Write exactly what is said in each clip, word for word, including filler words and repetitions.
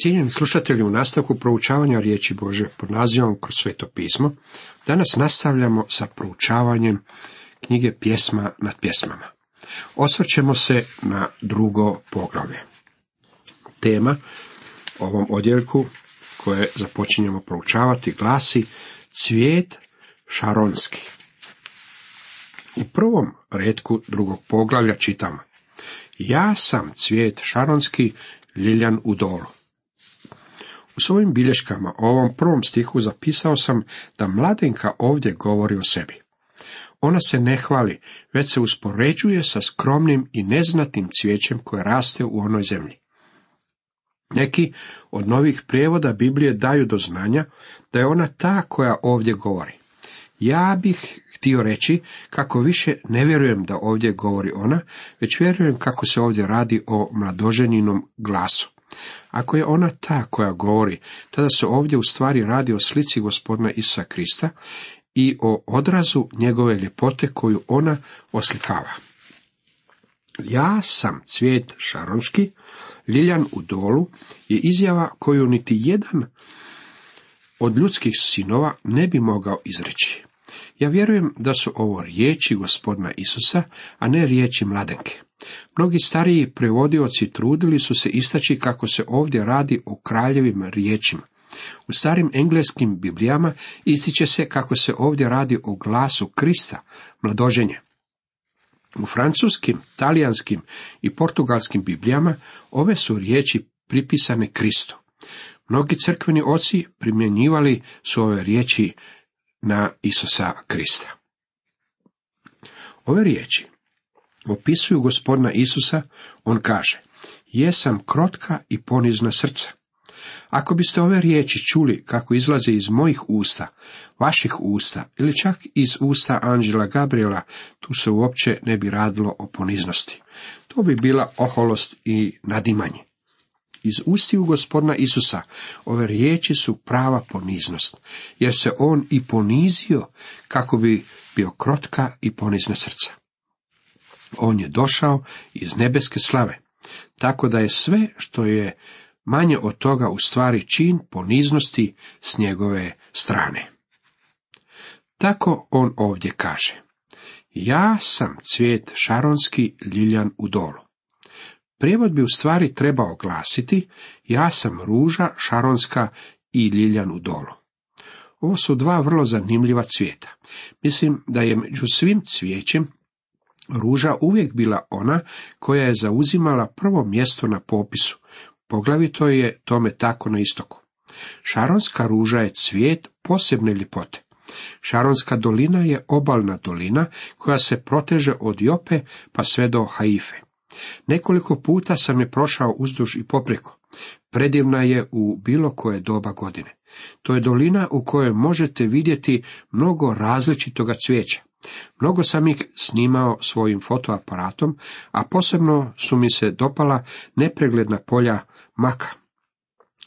Cijenjeni slušatelji, u nastavku proučavanja riječi Božje pod nazivom Kroz sveto pismo, danas nastavljamo sa proučavanjem knjige Pjesma nad pjesmama. Osvrćemo se na drugo poglavlje. Tema ovom odjeljku koje započinjemo proučavati glasi Cvijet šaronski. U prvom retku drugog poglavlja čitamo: Ja sam cvijet šaronski, ljiljan u dolu. U svojim bilješkama o ovom prvom stihu zapisao sam da mladenka ovdje govori o sebi. Ona se ne hvali, već se uspoređuje sa skromnim i neznatnim cvijećem koje raste u onoj zemlji. Neki od novih prijevoda Biblije daju do znanja da je ona ta koja ovdje govori. Ja bih htio reći kako više ne vjerujem da ovdje govori ona, već vjerujem kako se ovdje radi o mladoženinom glasu. Ako je ona ta koja govori, tada se ovdje u stvari radi o slici Gospodina Isusa Krista i o odrazu njegove ljepote koju ona oslikava. Ja sam cvijet šaronski, ljiljan u dolu je izjava koju niti jedan od ljudskih sinova ne bi mogao izreći. Ja vjerujem da su ovo riječi Gospodina Isusa, a ne riječi mladenke. Mnogi stariji prevodioci trudili su se istaći kako se ovdje radi o kraljevim riječima. U starim engleskim biblijama ističe se kako se ovdje radi o glasu Krista, mladoženje. U francuskim, talijanskim i portugalskim biblijama ove su riječi pripisane Kristu. Mnogi crkveni oci primjenjivali su ove riječi na Isusa Krista. Ove riječi opisuju Gospodina Isusa. On kaže: Jesam krotka i ponizna srca. Ako biste ove riječi čuli kako izlaze iz mojih usta, vaših usta ili čak iz usta anđela Gabriela, tu se uopće ne bi radilo o poniznosti. To bi bila oholost i nadimanje. Iz ustiju Gospodina Isusa ove riječi su prava poniznost, jer se on i ponizio kako bi bio krotka i ponizna srca. On je došao iz nebeske slave, tako da je sve što je manje od toga u stvari čin poniznosti s njegove strane. Tako on ovdje kaže: Ja sam cvijet šaronski, ljiljan u dolu. Prijevod bi u stvari trebao glasiti: Ja sam ruža šaronska i ljiljan u dolu. Ovo su dva vrlo zanimljiva cvijeta. Mislim da je među svim cvijećem ruža uvijek bila ona koja je zauzimala prvo mjesto na popisu. Poglavito je tome tako na istoku. Šaronska ruža je cvijet posebne ljepote. Šaronska dolina je obalna dolina koja se proteže od Jope pa sve do Haife. Nekoliko puta sam je prošao uzduž i poprijeko. Predivna je u bilo koje doba godine. To je dolina u kojoj možete vidjeti mnogo različitoga cvijeća. Mnogo sam ih snimao svojim fotoaparatom, a posebno su mi se dopala nepregledna polja maka.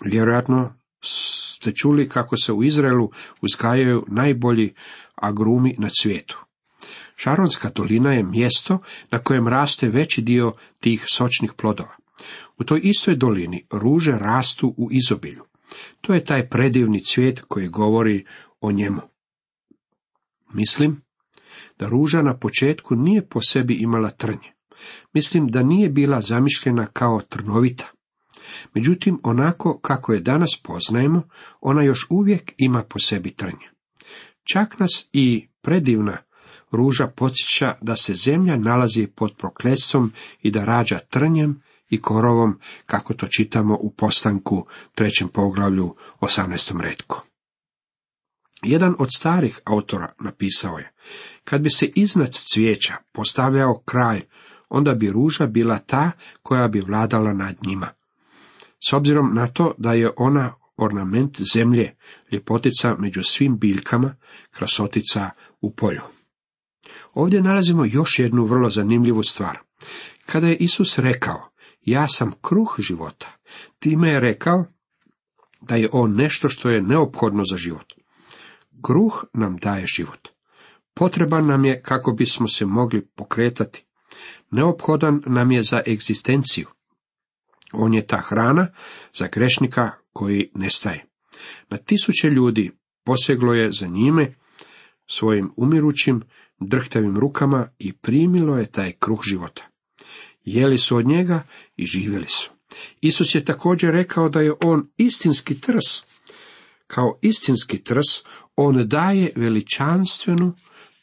Vjerojatno ste čuli kako se u Izraelu uzgajaju najbolji agrumi na svijetu. Šaronska dolina je mjesto na kojem raste veći dio tih sočnih plodova. U toj istoj dolini ruže rastu u izobilju. To je taj predivni cvijet koji govori o njemu. Mislim da ruža na početku nije po sebi imala trnje. Mislim da nije bila zamišljena kao trnovita. Međutim, onako kako je danas poznajemo, ona još uvijek ima po sebi trnje. Čak nas i predivna ruža podsjeća da se zemlja nalazi pod prokletstvom i da rađa trnjem i korovom, kako to čitamo u Postanku trećem poglavlju osamnaestom retku. Jedan od starih autora napisao je: Kad bi se iznad cvijeća postavljao kralj, onda bi ruža bila ta koja bi vladala nad njima. S obzirom na to da je ona ornament zemlje, ljepotica među svim biljkama, krasotica u polju. Ovdje nalazimo još jednu vrlo zanimljivu stvar. Kada je Isus rekao: Ja sam kruh života, time je rekao da je on nešto što je neophodno za život. Kruh nam daje život. Potreban nam je kako bismo se mogli pokretati. Neophodan nam je za egzistenciju. On je ta hrana za grešnika koji nestaje. Na tisuće ljudi poseglo je za njime svojim umirućim, drhtavim rukama i primilo je taj kruh života. Jeli su od njega i živjeli su. Isus je također rekao da je on istinski trs. Kao istinski trs, on daje veličanstvenu,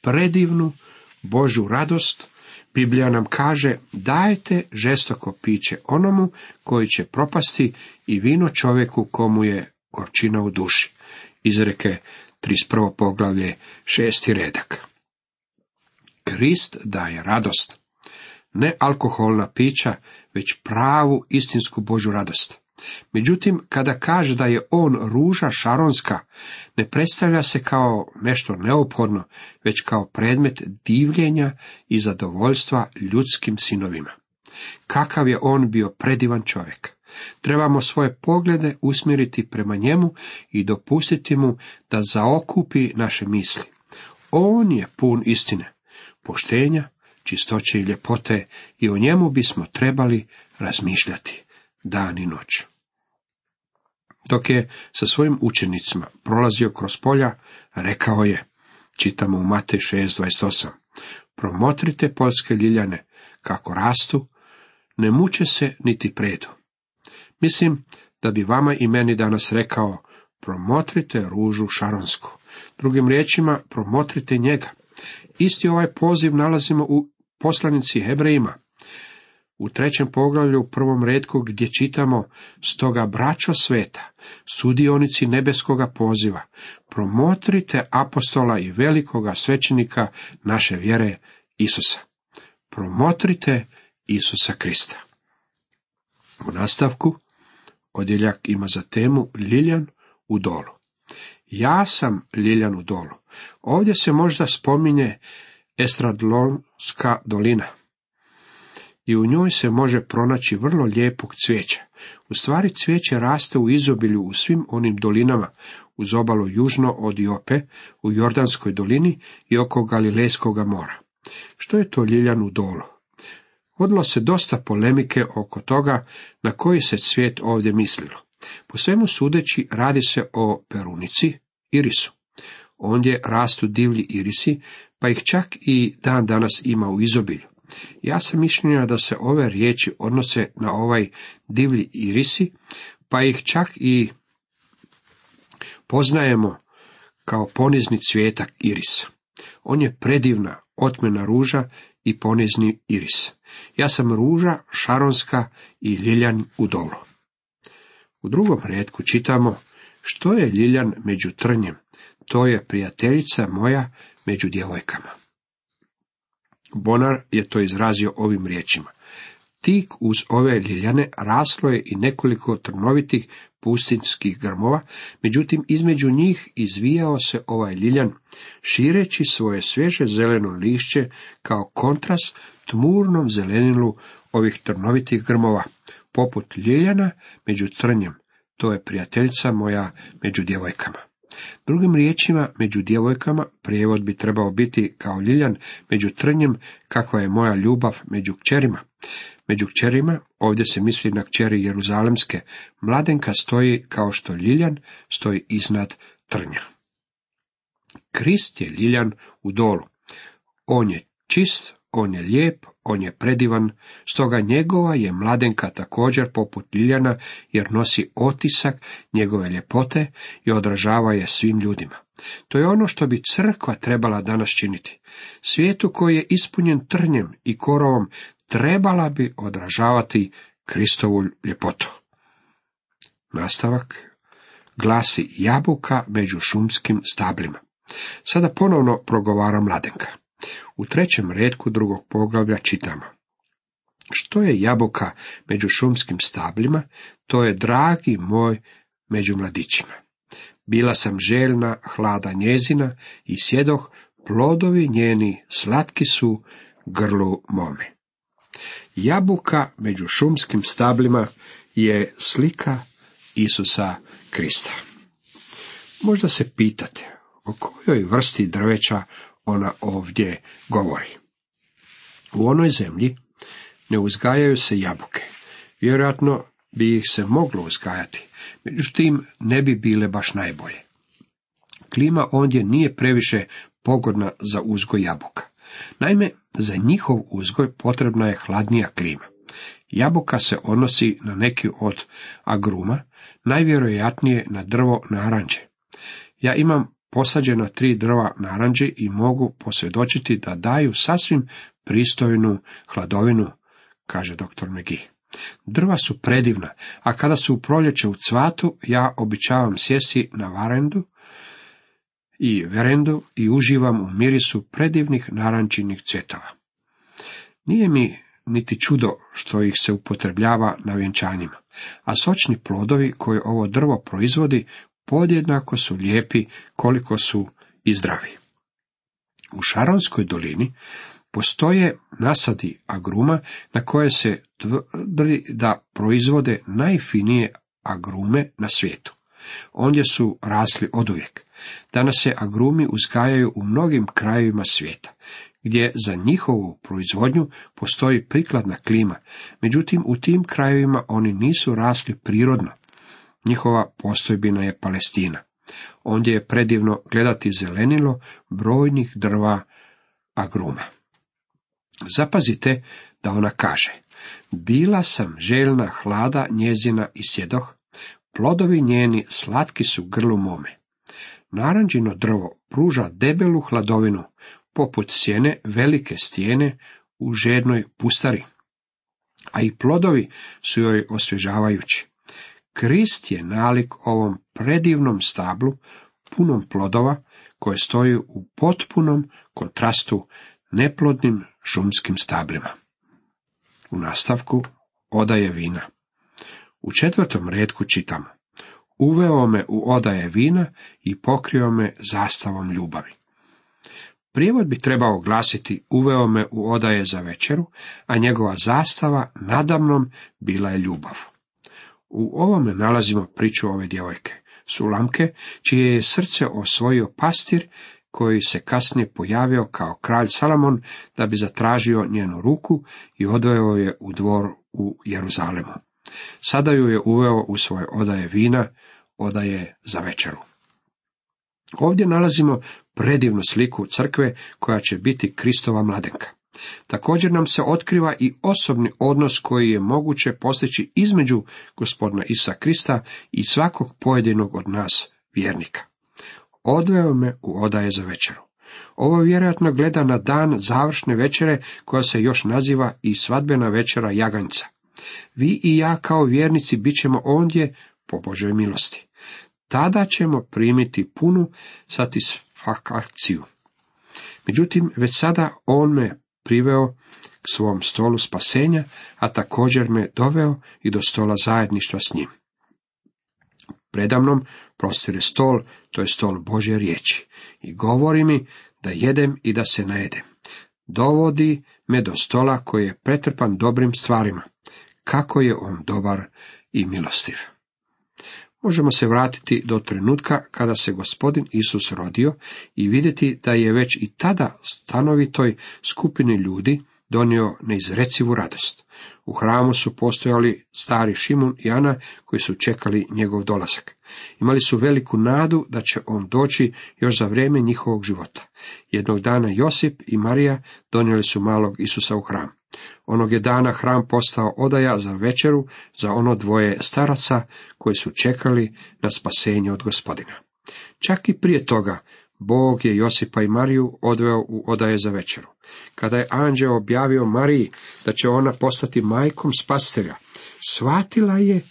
predivnu Božju radost. Biblija nam kaže, dajte žestoko piće onomu koji će propasti i vino čovjeku komu je gorčina u duši. Izreke trideset prvo poglavlje, šesti redak. Krist daje radost. Ne alkoholna pića, već pravu istinsku Božju radost. Međutim, kada kaže da je on ruža šaronska, ne predstavlja se kao nešto neophodno, već kao predmet divljenja i zadovoljstva ljudskim sinovima. Kakav je on bio predivan čovjek. Trebamo svoje poglede usmjeriti prema njemu i dopustiti mu da zaokupi naše misli. On je pun istine, poštenja, čistoće i ljepote i o njemu bismo trebali razmišljati dan i noć. Dok je sa svojim učenicima prolazio kroz polja, rekao je, čitamo u Matej šest dvadeset osam, promotrite poljske ljiljane, kako rastu, ne muče se niti predu. Mislim da bi vama i meni danas rekao, promotrite ružu šaronsku. Drugim riječima, promotrite njega. Isti ovaj poziv nalazimo u poslanici Hebrejima. U trećem poglavlju u prvom retku gdje čitamo, stoga braćo sveta, sudionici nebeskoga poziva, promotrite apostola i velikoga svećenika naše vjere Isusa. Promotrite Isusa Krista. U nastavku odjeljak ima za temu Ljiljan u dolu. Ja sam Ljiljan u dolu. Ovdje se možda spominje Estradlonska dolina. I u njoj se može pronaći vrlo lijepog cvijeća. U stvari cvijeće raste u izobilju u svim onim dolinama, uz obalu južno od Jope, u Jordanskoj dolini i oko Galilejskog mora. Što je to Ljiljan u dolu? Vodilo se dosta polemike oko toga na koji se cvijet ovdje mislilo. Po svemu sudeći radi se o perunici, irisu. Ondje rastu divlji irisi, pa ih čak i dan danas ima u izobilju. Ja sam mišljenja da se ove riječi odnose na ovaj divlji irisi, pa ih čak i poznajemo kao ponizni cvijetak irisa. On je predivna, otmena ruža i ponizni iris. Ja sam ruža šaronska i ljiljan u dolu. U drugom retku čitamo, što je ljiljan među trnjem, to je prijateljica moja među djevojkama. Bonar je to izrazio ovim riječima. Tik uz ove ljiljane raslo je i nekoliko trnovitih pustinskih grmova, međutim između njih izvijao se ovaj ljiljan, šireći svoje svježe zeleno lišće kao kontrast tmurnom zelenilu ovih trnovitih grmova, poput ljiljana među trnjem, to je prijateljica moja među djevojkama. Drugim riječima, među djevojkama prijevod bi trebao biti kao ljiljan među trnjem, kakva je moja ljubav među kćerima. Među kćerima, ovdje se misli na kćeri Jeruzalemske, mladenka stoji kao što ljiljan stoji iznad trnja. Krist je ljiljan u dolu. On je čist, on je lijep, on je predivan, stoga njegova je mladenka također poput ljiljana, jer nosi otisak njegove ljepote i odražava je svim ljudima. To je ono što bi crkva trebala danas činiti. Svijetu koji je ispunjen trnjem i korovom trebala bi odražavati Kristovu ljepotu. Nastavak glasi jabuka među šumskim stablima. Sada ponovno progovara mladenka. U trećem retku drugog poglavlja čitamo. Što je jabuka među šumskim stablima, to je dragi moj među mladićima. Bila sam željna hlada njezina i sjedoh, plodovi njeni slatki su grlu mome. Jabuka među šumskim stablima je slika Isusa Krista. Možda se pitate o kojoj vrsti drveća ona ovdje govori. U onoj zemlji ne uzgajaju se jabuke. Vjerojatno bi ih se moglo uzgajati, međutim ne bi bile baš najbolje. Klima ondje nije previše pogodna za uzgoj jabuka. Naime, za njihov uzgoj potrebna je hladnija klima. Jabuka se odnosi na neki od agruma, najvjerojatnije na drvo naranđe. Ja imam posađena tri drva naranđe i mogu posvjedočiti da daju sasvim pristojnu hladovinu, kaže doktor McGee. Drva su predivna, a kada su u proljeće u cvatu, ja običavam sjesti na varendu i verendu i uživam u mirisu predivnih narančinih cvjetova. Nije mi niti čudo što ih se upotrebljava na vjenčanjima, a sočni plodovi koje ovo drvo proizvodi podjednako su lijepi koliko su i zdravi. U Šaronskoj dolini postoje nasadi agruma na koje se tvrdi da proizvode najfinije agrume na svijetu. Ondje su rasli oduvijek. Danas se agrumi uzgajaju u mnogim krajevima svijeta, gdje za njihovu proizvodnju postoji prikladna klima, međutim u tim krajevima oni nisu rasli prirodno. Njihova postojbina je Palestina. Ondje je predivno gledati zelenilo brojnih drva agruma. Zapazite da ona kaže: bila sam željna hlada njezina i sjedoh, plodovi njeni slatki su grlu mome. Naranđino drvo pruža debelu hladovinu, poput sjene velike stijene u žednoj pustari, a i plodovi su joj osvježavajući. Krist je nalik ovom predivnom stablu, punom plodova, koje stoji u potpunom kontrastu neplodnim šumskim stablima. U nastavku odaje vina. U četvrtom retku čitamo: uveo me u odaje vina i pokrio me zastavom ljubavi. Prijevod bi trebao glasiti: uveo me u odaje za večeru, a njegova zastava nadamnom bila je ljubav. U ovome nalazimo priču ove djevojke, Sulamke, čije je srce osvojio pastir, koji se kasnije pojavio kao kralj Salomon da bi zatražio njenu ruku i odveo je u dvor u Jeruzalemu. Sada ju je uveo u svoje odaje vina, odaje za večeru. Ovdje nalazimo predivnu sliku crkve koja će biti Kristova mladenka. Također nam se otkriva i osobni odnos koji je moguće postići između Gospodina Isusa Krista i svakog pojedinog od nas vjernika. Odveo me u odaje za večeru. Ovo vjerojatno gleda na dan završne večere koja se još naziva i svadbena večera jaganjca. Vi i ja kao vjernici bit ćemo ondje po Božoj milosti. Tada ćemo primiti punu satisfakciju. Međutim, već sada on me priveo k svom stolu spasenja, a također me doveo i do stola zajedništva s njim. Predamnom prostire stol, to je stol Božje riječi, i govori mi da jedem i da se najedem. Dovodi me do stola koji je pretrpan dobrim stvarima. Kako je on dobar i milostiv. Možemo se vratiti do trenutka kada se Gospodin Isus rodio i vidjeti da je već i tada stanovitoj skupini ljudi donio neizrecivu radost. U hramu su postojali stari Šimun i Ana koji su čekali njegov dolazak. Imali su veliku nadu da će on doći još za vrijeme njihovog života. Jednog dana Josip i Marija donijeli su malog Isusa u hram. Onog je dana hram postao odaja za večeru za ono dvoje staraca koji su čekali na spasenje od Gospodina. Čak i prije toga Bog je Josipa i Mariju odveo u odaje za večeru. Kada je anđeo objavio Mariji da će ona postati majkom spasitelja, shvatila je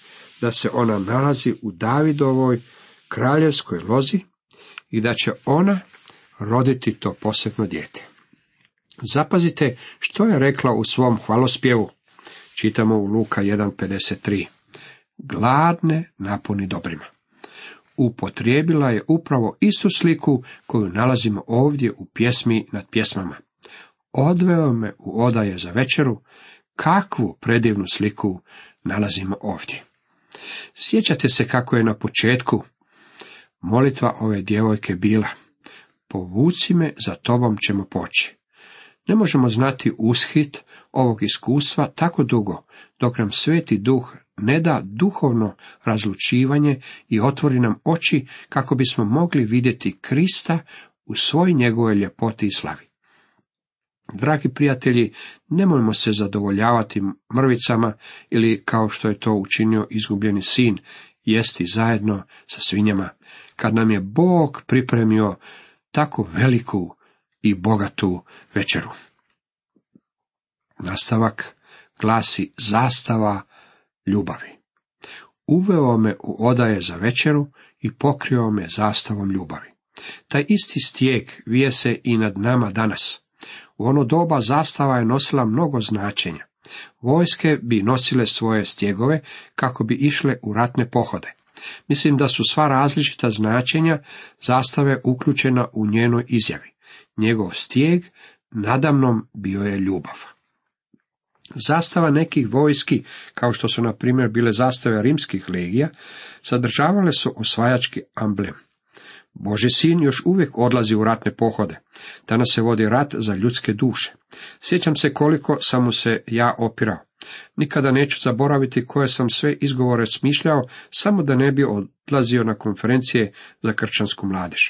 da se ona nalazi u Davidovoj kraljevskoj lozi i da će ona roditi to posebno dijete. Zapazite što je rekla u svom hvalospjevu. Čitamo u Luka jedan pedeset tri. Gladne napuni dobrima. Upotrijebila je upravo istu sliku koju nalazimo ovdje u pjesmi nad pjesmama. Odveo me u odaje za večeru, kakvu predivnu sliku nalazimo ovdje. Sjećate se kako je na početku molitva ove djevojke bila: povuci me, za tobom ćemo poći. Ne možemo znati ushit ovog iskustva tako dugo, dok nam Sveti Duh ne da duhovno razlučivanje i otvori nam oči kako bismo mogli vidjeti Krista u svoj njegovoj ljepoti i slavi. Dragi prijatelji, nemojmo se zadovoljavati mrvicama ili, kao što je to učinio izgubljeni sin, jesti zajedno sa svinjama, kad nam je Bog pripremio tako veliku i bogatu večeru. Nastavak glasi zastava ljubavi. Uveo me u odaje za večeru i pokrio me zastavom ljubavi. Taj isti stijeg vije se i nad nama danas. U ono doba zastava je nosila mnogo značenja. Vojske bi nosile svoje stjegove kako bi išle u ratne pohode. Mislim da su sva različita značenja zastave uključena u njenoj izjavi. Njegov stijeg nadamnom bio je ljubav. Zastava nekih vojski, kao što su na primjer bile zastave rimskih legija, sadržavale su osvajački amblem. Božji sin još uvijek odlazi u ratne pohode. Danas se vodi rat za ljudske duše. Sjećam se koliko sam mu se ja opirao. Nikada neću zaboraviti koje sam sve izgovore smišljao, samo da ne bi odlazio na konferencije za kršćansku mladež.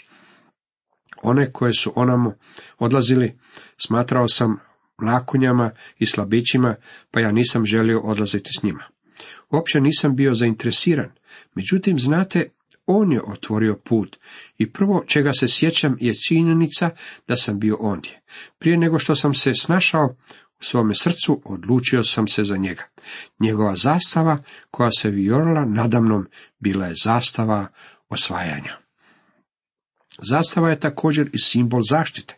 One koje su onamo odlazili, smatrao sam mlakunjama i slabićima, pa ja nisam želio odlaziti s njima. Uopće nisam bio zainteresiran. Međutim, znate, on je otvorio put i prvo čega se sjećam je činjenica da sam bio ondje. Prije nego što sam se snašao u svome srcu, odlučio sam se za njega. Njegova zastava koja se vijorila nadamnom bila je zastava osvajanja. Zastava je također i simbol zaštite.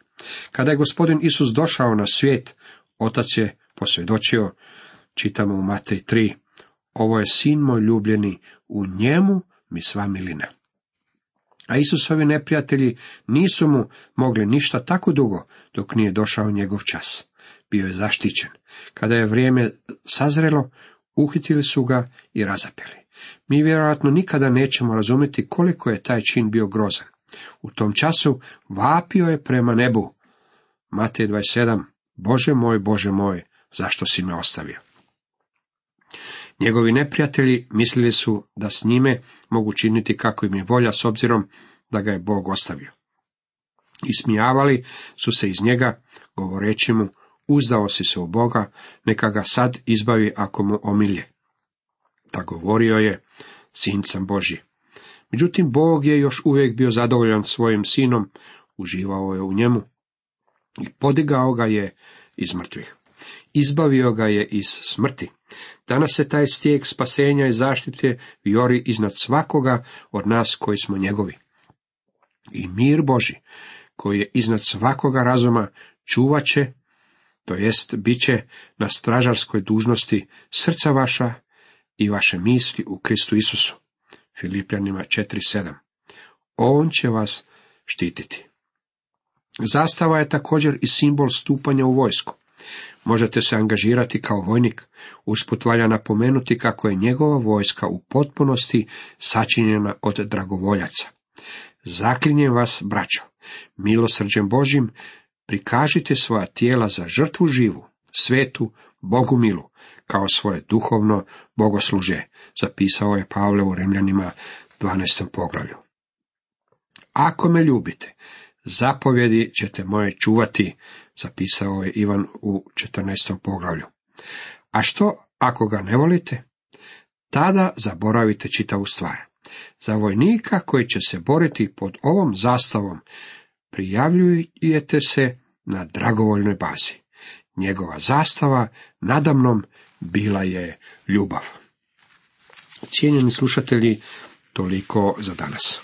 Kada je gospodin Isus došao na svijet, Otac je posvjedočio, čitamo u Matej tri, ovo je sin moj ljubljeni, u njemu mi sva milina. A Isusovi neprijatelji nisu mu mogli ništa tako dugo dok nije došao njegov čas. Bio je zaštićen. Kada je vrijeme sazrelo, uhitili su ga i razapeli. Mi vjerojatno nikada nećemo razumjeti koliko je taj čin bio grozan. U tom času vapio je prema nebu. Matej dvadeset sedam, Bože moj, Bože moj, zašto si me ostavio? Njegovi neprijatelji mislili su da s njime mogu činiti kako im je volja s obzirom da ga je Bog ostavio. Ismijavali su se iz njega, govoreći mu, uzdao si se u Boga, neka ga sad izbavi ako mu omilje. Ta govorio je, sin sam Božji. Međutim, Bog je još uvijek bio zadovoljan svojim sinom, uživao je u njemu i podigao ga je iz mrtvih. Izbavio ga je iz smrti. Danas se taj stijeg spasenja i zaštite vijori iznad svakoga od nas koji smo njegovi. I mir Božji, koji je iznad svakoga razuma, čuvat će, to jest bit će na stražarskoj dužnosti srca vaša i vaše misli u Kristu Isusu. Filipljanima četiri sedam. On će vas štititi. Zastava je također i simbol stupanja u vojsku. Možete se angažirati kao vojnik. Usput valja napomenuti kako je njegova vojska u potpunosti sačinjena od dragovoljaca. Zaklinjem vas, braćo, milosrđem Božjim, prikažite svoja tijela za žrtvu živu, svetu, Bogu milu, kao svoje duhovno bogoslužje, zapisao je Pavle u Rimljanima dvanaestom poglavlju. Ako me ljubite, zapovjedi ćete moje čuvati, zapisao je Ivan u četrnaestom poglavlju. A što ako ga ne volite? Tada zaboravite čitavu stvar. Za vojnika koji će se boriti pod ovom zastavom, prijavljujete se na dragovoljnoj bazi. Njegova zastava nadamnom bila je ljubav. Cijenjeni slušatelji, toliko za danas.